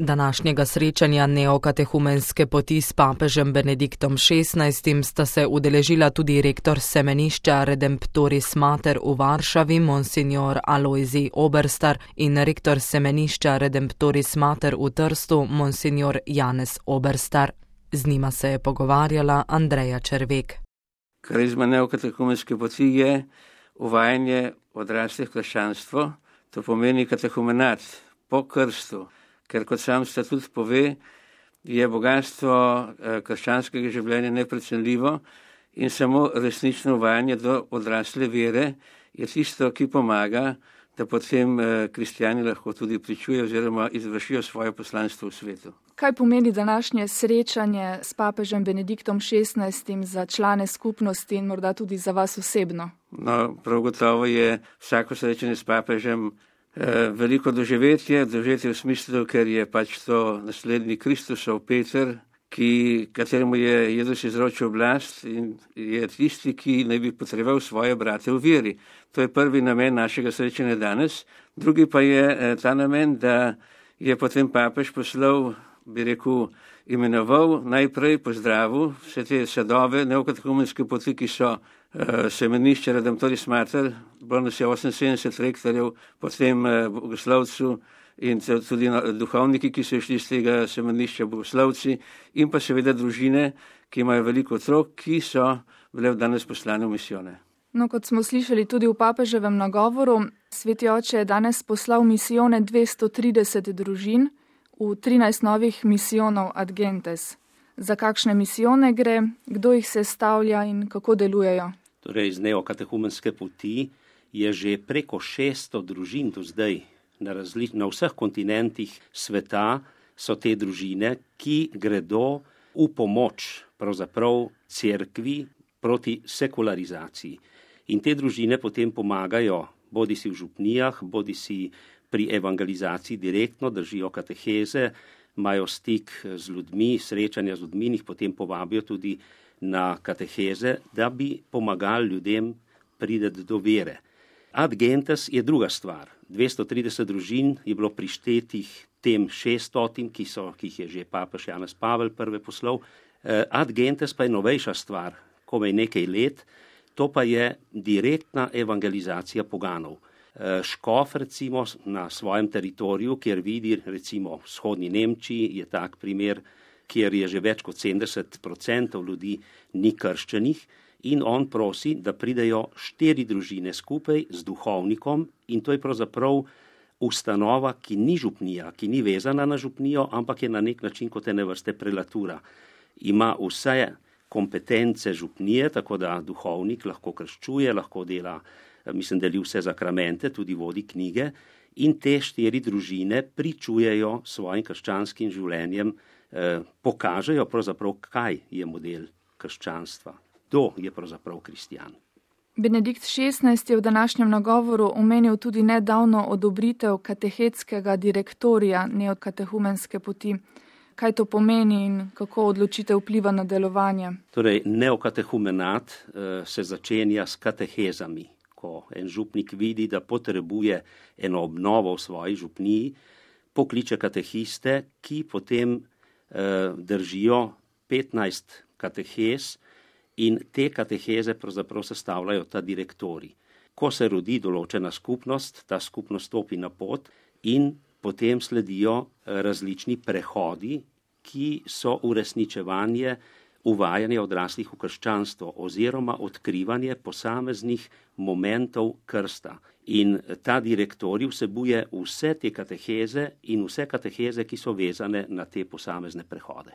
Današnjega srečanja neokatehumenske poti s papežem Benediktom XVI sta se udeležila tudi rektor semenišča Redemptoris Mater v Varšavi, monsignor Alojzij Oberstar, in rektor semenišča Redemptoris Mater v Trstu, monsignor Janez Oberstar. Z njima se je pogovarjala Andreja Červek. Karizma neokatehumenske poti je uvajanje odraslih v krščanstvo, to pomeni katehumenat po krstu. Ker kot sam statut pove, je bogatstvo krščanskega življenja neprecenljivo in samo resnično uvajanje do odrasle vere je tisto, ki pomaga, da potem kristjani lahko tudi pričujejo oziroma izvršijo svoje poslanstvo v svetu. Kaj pomeni današnje srečanje s papežem Benediktom XVI za člane skupnosti in morda tudi za vas osebno? No, prav gotovo je vsako srečanje s papežem veliko doživetje v smislu, ker je pač to naslednji Kristusov Peter, kateremu je Jezus izročil oblast in je tisti, ki naj bi potreboval svoje brate v veri. To je prvi namen našega srečanja danes. Drugi pa je ta namen, da je potem papež poslal, imenoval, najprej pozdravil vse te sadove neokatehumenske poti, ki so semenišče Redemptoris Mater, bilo nas je 78 rektorjev, potem bogoslovcu in tudi duhovniki, ki so išli z tega semenišča, bogoslovci, in pa seveda družine, ki imajo veliko otrok, ki so bile danes poslane v misijone. No, kot smo slišali tudi v papeževem nagovoru, Sveti oče je danes poslal misijone 230 družin v 13 novih misijonov ad gentes. Za kakšne misijone gre, kdo jih sestavlja in kako delujejo? Torej, z neokatehumenske poti je že preko 600 družin do zdaj. Na vseh kontinentih sveta so te družine, ki gredo v pomoč pravzaprav cerkvi proti sekularizaciji. In te družine potem pomagajo bodisi v župnijah, bodisi pri evangelizaciji direktno, držijo kateheze, imajo stik z ljudmi, srečanja z ljudmi, jih potem povabijo tudi na kateheze, da bi pomagali ljudem priti do vere. Ad gentes je druga stvar. 230 družin je bilo prištetih tem 600, ki jih je že papež Janez Pavel prve poslal. Ad gentes pa je novejša stvar, komaj nekaj let, to pa je direktna evangelizacija poganov. Škof recimo na svojem teritoriju, kjer vidi recimo v vzhodni Nemčiji, je tak primer, kjer je že več kot 70% ljudi ni krščenih, in on prosi, da pridejo 4 družine skupaj z duhovnikom, in to je pravzaprav ustanova, ki ni župnija, ki ni vezana na župnijo, ampak je na nek način kot ene vrste prelatura. Ima vse kompetence župnije, tako da duhovnik lahko krščuje, lahko dela, deli vse zakramente, tudi vodi knjige, in te 4 družine pričujejo svojim krščanskim življenjem, pokažejo pravzaprav, kaj je model krščanstva. Kdo je pravzaprav kristjan? Benedikt XVI je v današnjem nagovoru omenil tudi nedavno odobritev katehetskega direktorija neokatehumenske poti. Kaj to pomeni in kako odločitev vpliva na delovanje? Torej, neokatehumenat se začenja s katehezami. Ko en župnik vidi, da potrebuje eno obnovo v svoji župniji, pokliče katehiste, ki potem držijo 15 katehez in te kateheze pravzaprav sestavljajo ta direktorij. Ko se rodi določena skupnost, ta skupnost stopi na pot in potem sledijo različni prehodi, ki so uresničevanje uvajanje odraslih v krščanstvo oziroma odkrivanje posameznih momentov krsta. In ta direktorij vsebuje vse te kateheze in vse kateheze, ki so vezane na te posamezne prehode.